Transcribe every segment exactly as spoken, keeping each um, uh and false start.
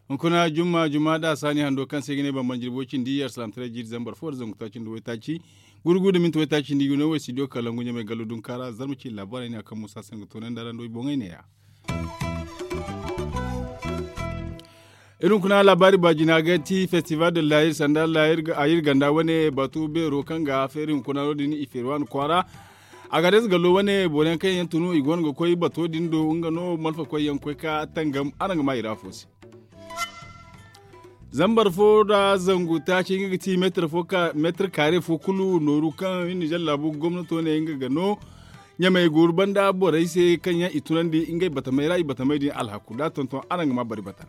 Hunkuna jumma jumma da saani hando kaŋ se ga ne bambam jirbi way cindi yar salam taray jiiri zambar fo da zangu taaci nda waytaaci gurgu da minti waytaaci nda i ga no way studio kalangu ɲamay gallo dunka ra zarma ci laabaarey ne a kaŋ musa se nga toonandi a ra nda way boŋey neeya. Iri hunkuna laabaari baajina ga ti festival de layir sanda layir ganda wane batu beero kaŋ ga feeri hunkuna no- din i feeri waani kwaara. A ga deesi gallo wane boro yaŋ kaŋ yaŋ tunu i go no ga koy bato din do nga no malfa koy yaŋ koy ka tangam araŋ ga ma i ra afo se. Zambar fo da zangu taaci nga ga ti meetir kaare fo kulu nooru kaŋ nizer laabu gomnato ne nga ga no ɲamey gooru banda borey se kaŋ yaŋ i tunandi ngey batamey ra i batamey din alhaku da a tonton araŋ ga ma bari bata.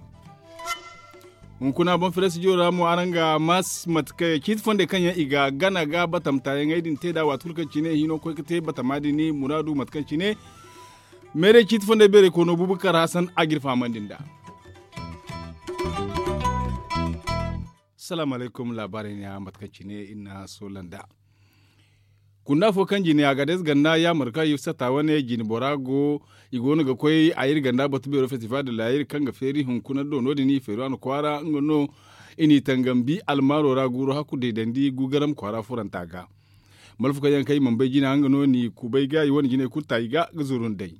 Hunkuna boŋ fere studio ra mo araŋ ga ma mate kaŋ ciiti fondey kaŋ yaŋ i ga gana ga batamtaayaŋey din te nd'a waati kulu kaŋ cine hino koy ga te batama din muraadu mate kaŋ cine meeray ciiti fondey beeray koono bubakar hasan a ga iri fahamandi nd'a. Salaamu alaykum laabaarey neeya mate kaŋ cine iri na soola nd'a. Kunda fo kaŋ jine a ga deesi ganda yaamarka yusata wane jine bora go i go no ga koy a iri ganda batu beero festival de layir kaŋ ga feeri hunkuna do no- din i feeri a na kwaara nga no i n'i tangambi almaaro ra guuru hakku deedandi gugaram kwaara furanta ga. Malfa kaŋ yaŋ kaŋ i mana bay jina nga no n'i kubay ga i wane jinay kulu ta i ga ga zuru nd'ey.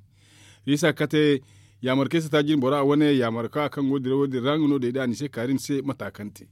Isa kate yaamarkey sata jine bora wane yaamarka kaŋ go dira wo- din ra nga no day da a ni se kaari ni se mata kaŋ te.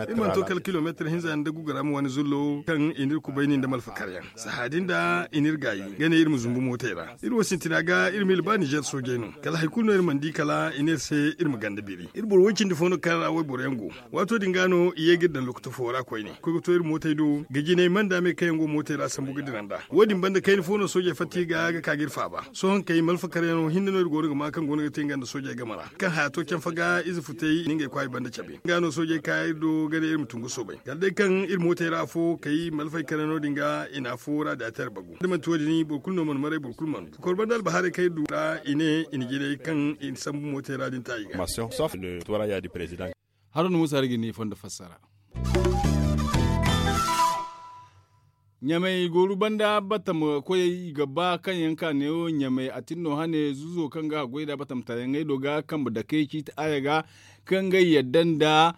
Iri mana to kala kilomeetir hinza yaŋ nda gugaram wane zullo kaŋ i n'iri kubayni nda malfakaryaŋ sahaadin da i n'iri gaayi ga ne iri ma zumbu mootey ra iri wo sintina ga iri ma iri ba nizer soojey no kala hari kulu no iri mana di kala i ne iri se iri ma ganda biri iri boro woy cindi fo no kaŋ ra wayboro yaŋ go. Waato din ga no i ye ga iri daŋ lokoto fo ra koyne koy ga to iri mootey do ga jinay manda me kaŋ yaŋ go mootey ra sambu ga dira nd'a wo- din banda kayna fo no soojey fatta i ga ga ka ga iri faaba. Sohõ kay malfakaryaŋo hinne no iri go no ga ma kaŋ go no ga te nga nda soojey game ra kaŋ haya to canfa ga ize futay i na ngey kwaay banda cabe nga no soojey ka iri do ga ne iri ma tun ga soobay kala day kaŋ iri mootey ra afo kay malfay kare no- din ga i na afo ra da tere bagu da manti wo- din boro kulu no mana maray boro kulu mana du kokor banda albahaarey kaŋ iri du ra i ne i na jinay kaŋ i na sambu mootey ra din ta i ga. Haro no musa hari ga ni fondo fassara. Ɲamey gooru banda batam koyey i ga ba kaŋ yaŋ ka neewo ɲamey a tin no hane zuzo kaŋ ga goy nd'a batam taayaŋey do ga kambe dakey ciiti aaya ga kaŋ ngey yadda nda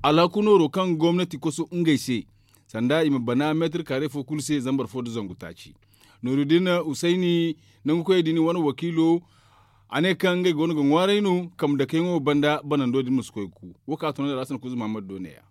alhaku nooro kaŋ gomnati koso ngey se sanda i ma bana meetir kaare fo kulu se zambar fo nda zangu taaci. Nooru din usayni nangu koyey din wane wakiilo a ne kaŋ ngey go no ga ŋwaaray no kambe dakey ŋo banda banando din ma si koy ga ku. Wo kaŋ a tunandi ra a sanda kuuza mahammad do ne ya.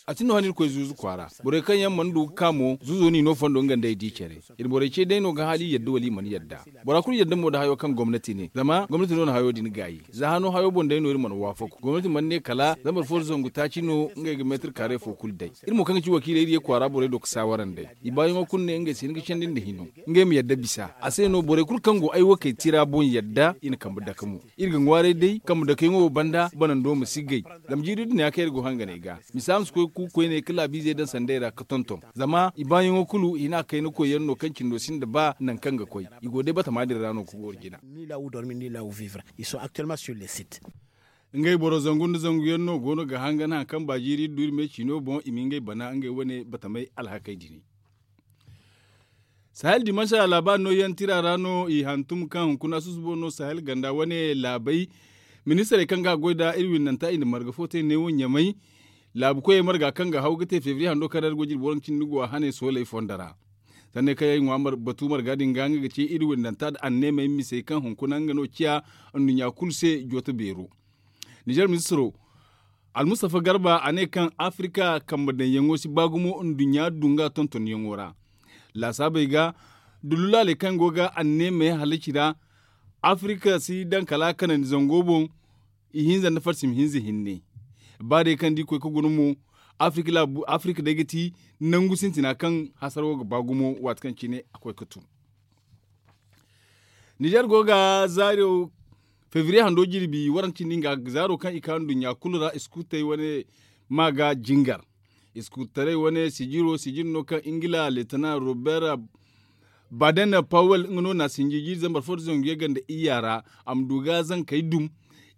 A tin no hane iri koy zuuzu kwaara borey kaŋ yaŋ mana du ga ka mo zuuzo no i no fondo nga nda ay di care. Iri borey ce day no ga hala i yadda wala i mana yadda. Bora kulu yadda mo nda hayo kaŋ gomnati ne zama gomnati no na hayo din gaayi. Za hano hayo boŋ day no iri mana waafaku gomnati mana ne kala zambar fo nda zangu taaci no ngey ga meetir kaare fo kulu day. Iri mo kaŋ ga ci wakiiley iri ye kwaara borey do ga saawara nd'ey i baayaŋo kulu ne ngey se ni ga candi nda hino ngey ma yadda bisa a se no borey kulu kaŋ go ay wakey tira boŋ yadda i na kambe dake mo. Iri ga ŋwaaray day kambe dakeyaŋo wo banda banando ma si gay. Zama jiiri din ya kaŋ iri go hanganey ga misa ma si koy ga ku koyne ga laabiizey daŋ sanday ra ga tonton zama i baayaŋo kulu hina kayna koyyaŋ no kaŋ cindo sinda ba nangu kaŋ ga koy. I go day batama din ra no ga gooro jina. Ngey boro zangu nda zangu yaŋ no go no ga hangan hari kaŋ ba jiiri iri du iri me ciino boŋ i ma ngey bana ngey wane batamey alhakey dini. Sahel dimansa laabaari no yaŋ tira ra no i hantum kaŋ hunkuna susubo no sahel ganda wane laabey. Ministarey kaŋ ga a goy nd'a iri windanta i na marga fo te neewo ɲamay. Laabu koyey marga kaŋ ga haw ga te febriye hando kaŋ ra iri go jirbi waranka cindi nga go a hane sooley fondo ra. Sanney kaŋ yaŋ ay ŋwa batu marga din ga nga ga ci iri windanta nda anneemey misey kaŋ hunkuna nga no ciya nduɲɲa kulu se jooto beero. Nizer ministiro almustafa garba a ne kaŋ afirika kambe daŋyaŋo si ba gumo nduɲɲa dunga tontonyaŋo ra. Laasaabey ga dululaaley kaŋ go ga anneemey halaci ra. Afirika si daŋ kala kanandi zango boŋ. Ihinza nda farsim hinza hinne. Ba day kaŋ da i koy ga guna mo afirika day ga ti nangu sintina kaŋ hasaro ga ba gumo waati kaŋ cine a koy ga tun. Nizer go ga zaaro febriye hando jirbi waranka cindi nga zaaro kaŋ i ka nduɲɲa kulu ra iskuutey wane ma ga jingar. Iskuutarey wane sijiro sijir no kaŋ ingila leetana robert baden pawel nga no na sinji jiiri zambar fo da zangu yagga nda iyya ra a ma du ga zankey dum.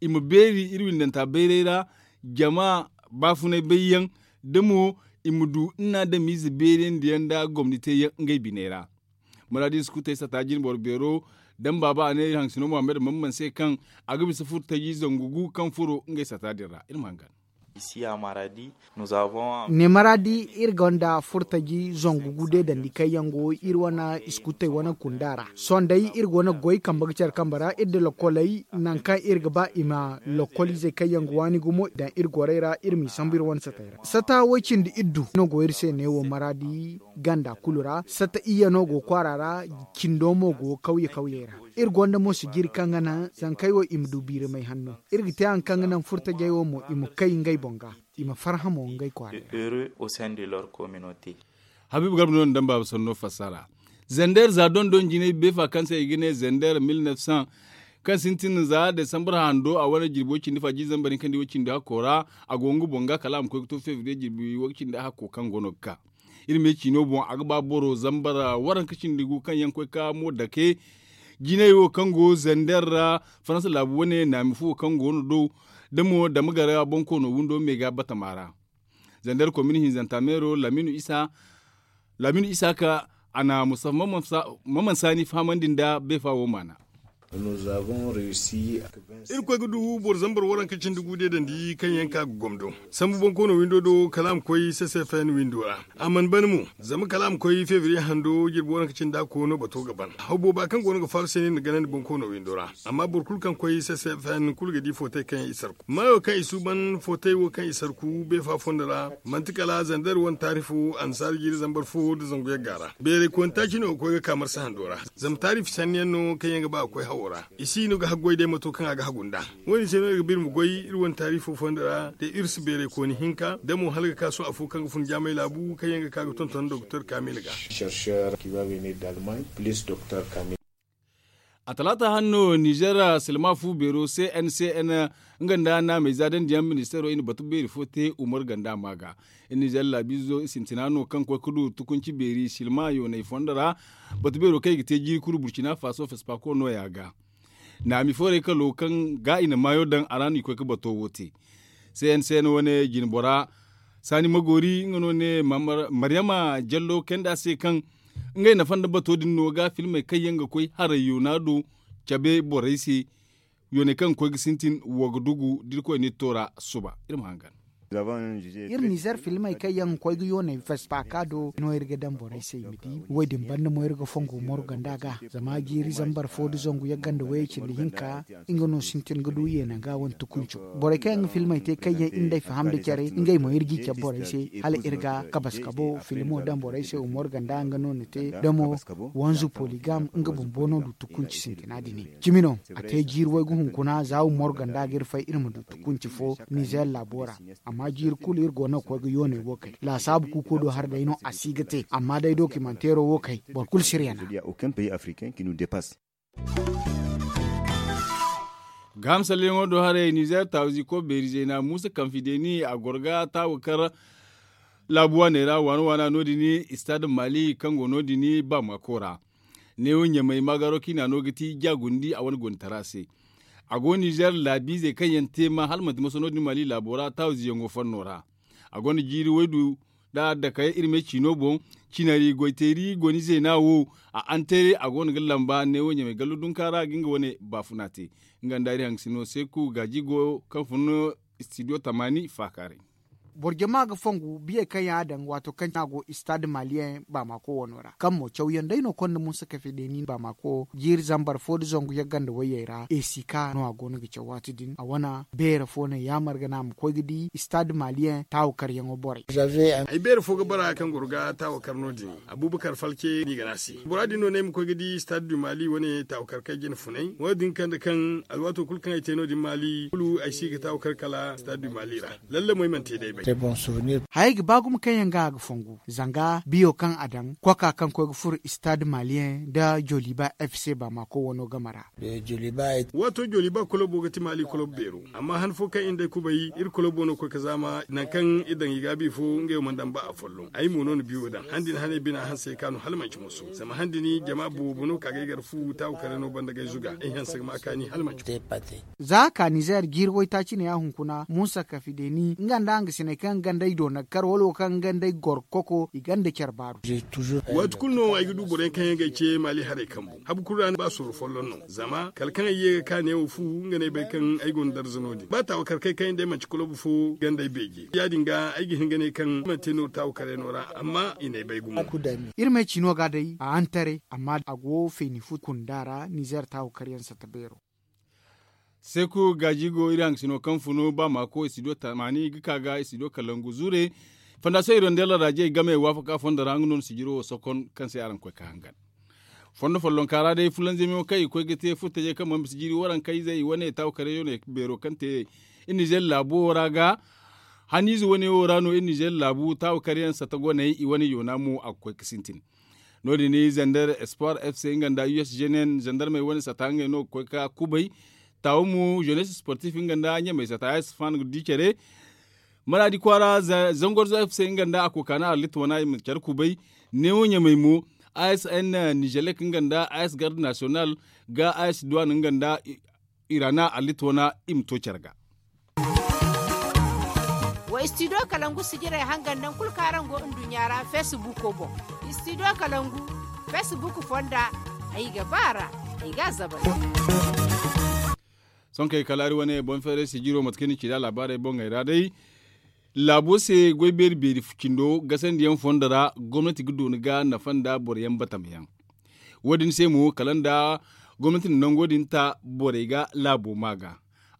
I ma beeri iri windanta bayray ra. jama baafunay bayyaŋ da mo i ma du nna damiize beerandi yaŋ nda gomni teeyaŋ ngey biney ra. Maraadi iskutey sata jinboro beero daŋ baaba a ne iri haŋsino muhammad mamman se kaŋ a ga bisa furtaji zangu gu kaŋ furo ngey sata din ra iri ma hangan. Ne maraadi iri gonda furtaji zangu gu deedandi kaŋ yaŋ go iri wane iskutey wane kunda ra sohõ day iri go no ga goy kambe ga care kambe ra iri da lakoley nangu kaŋ iri ga ba i ma lakolizey kaŋ yaŋ ga waani gumo i daŋ iri gorey ra iri m'i sambu iri wane satey ra sata way-cindi iddu no go iri se neewo maraadi ganda kulu ra sata iyye no go kwaara ra cindo mo go kawye kawyey ra. Iri gonda mo sijiri kaŋ ga naŋ zankey wo i ma du biiramay hanno. Iri ga te haŋ kaŋ ga naŋ furtajey wo mo i ma kay ngey boŋ ga i ma farhã mo ngey kwaarey ra. Habiibu garba no na daŋ baaba sanno fassara. Zander za dondon jinay beefa kaŋ se i ga ne zander mil neef cent kaŋ sintin za desambar hando a wane jirbi way-cindi fa jiiri zambar hinka nda way-cindi hakko ra. A go nga boŋ ga kala a ma koy ga to febriye jirbi way-cindi hakko kaŋ go no ga ka iri me ciino boŋ a ga ba boro zambar waranka cindi gu kaŋ yaŋ koy ka mo dake. Jinay wo kaŋ go zander ra faransa laabu wane naami fu wo kaŋ go no do da mo dama gara bonkoono windo me ga batama ra. Zander komini hinzanta meero laminu isa laminu isa ka a na mustafa maman saani fahamandi nda beefa wo maana. Iri koy ga du boro zambar waranka cindi gu deedandi kaŋ yaŋ ka ga gomdo sambu bonkoono windo do kala a ma koy ccfn windo ra. A mana ban mo zama kala a ma koy febriye hando jirbi waranka cindi a koono bato ga ban hawbo ba kaŋ go no ga faaru se ne nda ganandi bonkoono windo ra. Amma boro kulu kaŋ koy ccfn kulu ga di footay kaŋ yaŋ i sarku maayo kaŋ i suuban footay wo kaŋ i sarku beefa fondo ra. Manti kala zander wane taari fo annasaara jiiri zambar fo nda zangu yagga ra beeray koyne taaci no ga koy ga ka marsa hando ra. Zama taari fisanni yaŋ no kaŋ yaŋ ga ba ga koy hawo ra. I si no ga haggoy day mato kaŋ a ga hagu nd'a. Wo- din se no iri ga ba iri ma goy iri wane taari fo fondo ra da iri si beeray kooni hinka da mo hala ga ka sohõ afo kaŋ ga fun jaamay laabu kaŋ yaŋ ga ka ga tonton doktor kaamil ga. A talaata hanno nizer silma fu beero cncn nga nda naamey za dandiyaŋ ministeero i na batu beeri fo te umar ganda ma ga. Nizer laabiizo sintina no kaŋ koy ga du tukunci beeri silma yoonay fondo ra. Batu beero kaŋ i ga te jiiri kulu burcina faaso fespako nooya ga. Naami foorey kalo kaŋ ga i na maayo daŋ a ra no i koy ga bato wo te. Cncn wane jinbora saani magoori nga no ne maryama jallo kayndi a se kaŋ ngey nafa nda bato din no ga filmey kaŋ yaŋ ga koy haray yoona do cabe borey se. Yooney kaŋ ga koy ga sintin wo ga dugu da irkoy n'iri to ra suba iri ma hangan. Iri nizer filmey kaŋ yaŋ ga koy ga yooney vespa ka do no iri ga daŋ borey se i ma di wo- din banda mo iri ga fongu moro ganda ga zama jiiri zambar fo nda zangu yagga nda wayey cindi hinka. Nga no sintin ga du yeena ga wane tukunco borey kaŋ yaŋ ga filmey te kaŋ yaŋ iri nd'ey faham nda care ngey mo iri g'i cabe borey se hala iri ga kabaskabo filmo daŋ borey se umar ganda nga no na te damo wanzu poligam nga bumbo no du tukunci sintina din cimi no. A te jiiri waygu hunkuna za umar ganda ga iri fay iri ma du tukunci fo nizer laabo ra. Amma jiiri kulu iri go no ga koy ga yooney wo kay laasaabu kuuko do har day no a si ga te amma day dokimanteero wo kay boro kulu si iri yana. Gaaham salleyaŋo do haray nizer taawuzi ko beeri zeena muusa kamfi deeni a goro ga taawu kar laabu waaney ra waana waana no- din istad mali kaŋ go no- din baamako ra. Neewo ɲamay maagaro kaŋ i na no ga ti jaagundi a wane gonda tara se. A go nizer laabiizey kaŋ yaŋ te ma hala manti maso no- din mali laabo ra taawuzi yaŋo fanno ra. A gonda jiiri waydu da dakay iri me ciino boŋ. Cinari goyteeri goni zeena wo a antere a go no ga lamba neewo ɲamay gallo dunka ra ga nga wane baafuna te. Nga nda iri haŋ sino seeku gaaji go kaŋ fun studio tamaani faakaaray. Boro jama ga fongu biyey kaŋ yaŋ a daŋ waato kaŋ a go istad maliyeŋ baamako wano ra kaŋ mo cawyaŋ day no konda muusa kafe deeni baamako jiiri zambar fo nda zangu yagga nda wayyey ra esika no a go no ga caw waati din a wane beere fo no yaamar ga naŋ a ma koy ga di istad maliyeŋ taawakaryaŋo borey. Ay beere fo ga bara kaŋ goro ga taawakar no- din. Abubakar falke no i ga ne a se bora din no ne ay ma koy ga di stade du mali wane taawakar kaŋ ay jina funay wo- din kande kaŋ alwaato kulu kaŋ ay te no- din mali kulu ay si ga taawakar kala stade du mali ra. Lallamo ay mana te day bay. Hayey ga ba gumo kaŋ yaŋ ga a ga fongu zanga biyo kaŋ a daŋ koka kaŋ koy ga furo istaad maliyeŋ nda joliba f c baamako wano game ra. Waato joliba kolobo ga ti maali kolobo beero. Amma han fo kaŋ iri nda ay kubay iri kolobo no koy ga zaama nangu kaŋ iri daŋ i gaabi fo ngey wo mana daŋ ba afolloŋ ay mo no na biyo daŋ handi ni haney bina hanse ka no hala manci moso zama handi ni jama boobo no ka ga ay gar fu taawu kare no banda ga ay zuga ay hanse ga ma kaani hala manci. Za ka nizeer jiiri waytaaci ne ya hunkuna muusa kafideeni nga nda hangasiney kaŋ ganda ay doonakar wala wo kaŋ ganda ay goro koko i ganda care baaru. Waati kulu no ay ga du boro yaŋ kaŋ yaŋ ga ay ce maali haray kambu habu kulu ra ni ba sorro folloŋ no zama kala kaŋ ay ye ga ka neewo fu nga no ay bay kaŋ ay go no darza no- din ba taawu kar kay kaŋ yaŋ day manci kolobu fo ganda ay beeje ya- din ga ay ga hin ga ne kaŋ ay mana te nooru taawu kare no ra amma i n'ay bay gumo. Iri ma ay ci no ga day a hantare amma a go feeni fu kunda ra nizeer taawu kar yaŋ satta beero. Seeku gaaji go iri hangasino kaŋ funu ba maako i si do tamaani ga ka ga i si do kalangu zuure. Fondasiyoŋ irondel raajey game waafaka fondo ra nga no na sijiro wo sokon kaŋ se araŋ koy ka hangan. Fondo follonka ra day fulanzamiyaŋo kaŋ i koy ga te furtajey kaŋ mana bisa jiiri waranka izey i wane taawu karyaŋ beero kaŋ te iri nizeer laabu wo ra ga haniize wane wo ra no iri nizeer laabu taawu karyaŋ sata goney i wane yoona mo a ga koy ga sintin. No- din zandar espoir f c nga nda u s g n n zandarmey wane sata ngey no ga koy ga kubay. Taawo mo jeunesse sportif nga nda ɲamey sata ya sifan ga di care. Maradi kwaara zangorzo f c nga nda a kokaana arlit wana i ma care kubay. Neewo ɲamey mo a s n nizelek nga nda a s garde national ga a s duwan nga nda irana arlit wana i ma to care ga. Wa istidiyo kalangu sijirey hangan naŋ kulu kaŋ araŋ go nduɲɲa ra feesibuuko boŋ. Istidiyo kalangu feesibuuku fonda ay ga ba a ra. Ay ga a zabal. Sohõ kay kala hari wane boŋ feeray sijiro mate kaŋ ni ci nd'a laabaarey boŋey ra day. Laabo se goy beeri beeri cindo gasandiyaŋ fondo ra gomnati ga dooni ga nafa nda boro yaŋ batama yaŋ. Wo- din se mo kala nda gomnati na nango din ta borey ga laabo ma ga.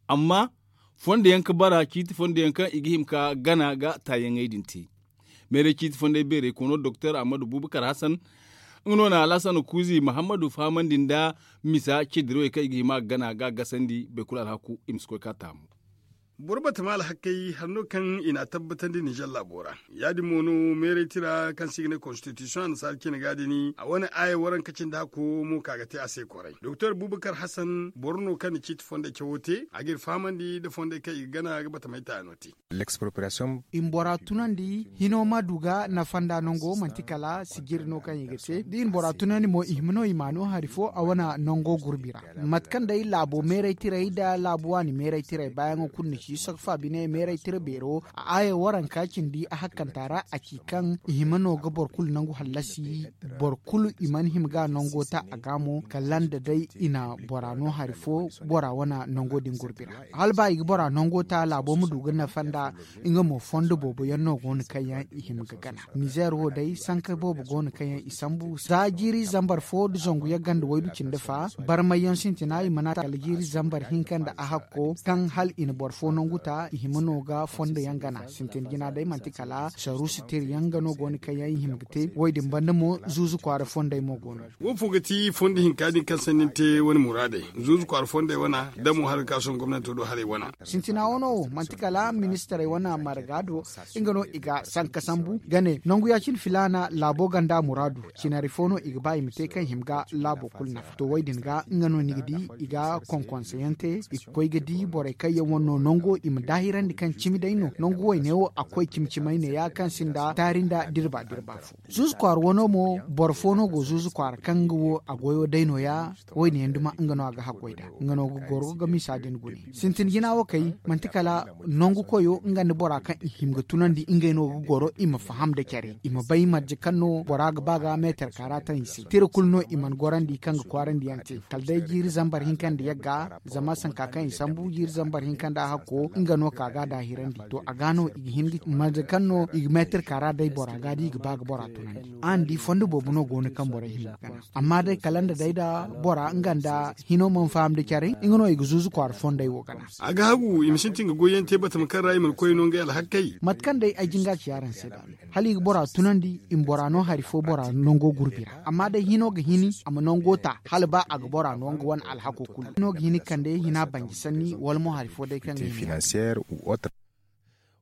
Amma fondo yaŋ ga bara ciiti fondo yaŋ kaŋ i ga hima ga gana ga taayaŋey din te. Meeray ciiti fondey beerey koono doktor ahmadu bubakar hasan nga no na alhasan kuuzi muhammadu fahamandi nda misa ceedirawey kaŋ i ga hima ga gana ga gasandi baykulu alhaku i ma si koy ga taamu. Boro batama alhakey hari no kaŋ i n'a tabbatandi ninzeer laabo ra. Ya- din mo no meeray tira kaŋ se i ga ne konstitisiyoŋ annasaara cine ga din a wane aaya waranka cindi hako mo ka ga te a se kwaray doktor bubakar hasan boro no kaŋ na ciiti fondey cawo te a g'iri fahamandi nda fondey kaŋ i ga gana ga batamey taayano te. I ma bora tunandi hino ma du ga nafa nda nango manti kala sijiri no kaŋ i ga te da i na bora tunandi mo i hima no i ma no hari fo a wane nango gurbi ra. Mate kaŋ day laabo meeray tirey nda laabu waani meeray tirey baayaŋo kulu ni ci sokfa bine meeray tira beero a aaya waranka cindi a hakkanta ra a ci kaŋ i hima no ga boro kulu nangu hallasi. Boro kulu i mana hima ga nango ta a ga mo kala nda day i na bora no hari fo bora wane nango din gurbi ra. Hala ba i ga bora nango ta laabo ma du ga nafa nda nga mo fondo boobo yaŋ no go no kaŋ yaŋ i hima ga gana. Nizeer wo day sanka boobo go no kaŋ yaŋ i sambu za jiiri zambar fo nda zangu yaŋ ganda waydu cindi fa barmay yaŋ sintina i mana ta kala jiiri zambar hinka nda a hakko kaŋ hala i na boro fo nangu ta i hima no ga fondo yaŋ gana sintin jina day manti kala saruusi tira yaŋ ga no go no kaŋ yaŋ i hima ga te wo- din banda mo zuuzu kwaara fondey mo go no. Wo fo ga ti fondo hinka din kaŋ sanni ni te wane muraadey zuuzu kwaara fondey wana da mo hari ga ka sohõ gomnanto do haray wana. Sintina wano wo manti kala ministarey wane marga do nga no i ga sanka sambu ga ne nangu ya- cine filaana laabo ganda muraadu. Cinari fo no i ga ba i ma te kaŋ hima ga laabo kulu nafa to wo- din ga nga no ni ga di i ga konkonse yaŋ te i ga koy ga di borey kaŋ yaŋ wane no nango i ma daahirandi kaŋ cimi day no nangu wayne wo a koy cimi cimay ne ya kaŋ sinda taari nda dirba dirba fo. Zuuzu kwaara wano mo boro fo no go zuuzu kwaara kaŋ nga wo a goyo day no- ya. Wo- din yaŋ duma nga no a ga haggoy nd'a nga no ga goro ga misa din gune sintin jina wo kay manti kala nangu koyo nga nda bora kaŋ i hima ga tunandi ngey no ga goro i ma faham nda care i ma bay marje kaŋ no bora ga ba ga meetar kaara taŋ i se tira kulu no i mana gorandi kaŋ ga kwaarandi yaŋ te kala day jiiri zambar hinka nda yagga zama sanka kaŋ i sambu jiiri zambar hinka nda hakko nga no ka ga daahirandi to a ga no i ga hin ga marje kaŋ no i ga meetar kaara day bora ga da i ga ba ga bora tunandi araŋ di fondo boobo no go no kaŋ borey hima ga gana. Amma day kala nda day da bora nga nda hino mana faham da care nga no i ga zuuzu kwaara fondey wo gana. A ga hagu i ma sintin ga goyyaŋ te batama kaŋ ra i mana koy no ngey alhakey. Mate kaŋ day ay jin ga ci araŋ se da hala i ga bora tunandi i ma bora no hari fo bora nango gurbi ra amma day hino ga hini a ma nango ta hala ba a ga bora no nga wane alhako kulu hino ga hini kande hina banji sanni wala mo hari fo day kaŋ ga hini.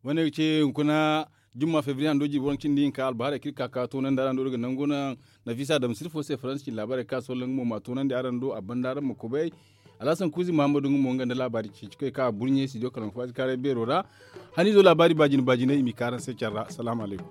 Wane ga ce hunkuna jumma febriye hando jirbi waranka cindi hinka albaharey kaŋ iri ka ka toonandi araŋ do iri ga nangu naŋ. Nafisa damsir fo se faransa cine laabaarey kaŋ a sohõ nga mo ma a toonandi araŋ do a banda araŋ ma kubay. Alhasan kuuzi muhammadu nga mo nga nda laabaari ceeci koy kaŋ a burɲe studio kalangu faati kaaray beero ra. Haniizo laabaari baajine baajiney i m'i ka araŋ se care ra salaamu alaykum.